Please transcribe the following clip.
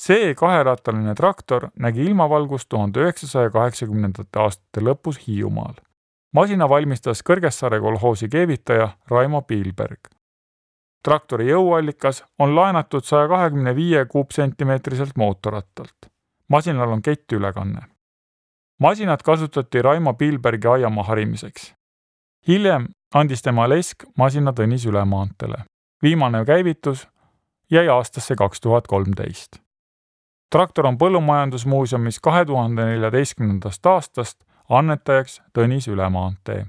see kaherattaline traktor nägi ilmavalgust 1980. aastate lõpus Hiiumaal. Masina valmistas Kõrgessaare kolhoosi keevitaja Raimo Piilberg. Traktori jõuallikas on laenatud 125 kuupsentimeetriselt mootorrattalt. Masinal on kettülekanne. Masinat kasutati Raimo Piilbergi aiamaa harimiseks. Hiljem andis tema lesk masina Tõnis Ülemaanteele. Viimane käivitus jäi aastasse 2013. Traktor on Põllumajandusmuuseumis 2014. aastast annetajaks Tõnis Ülemaantee.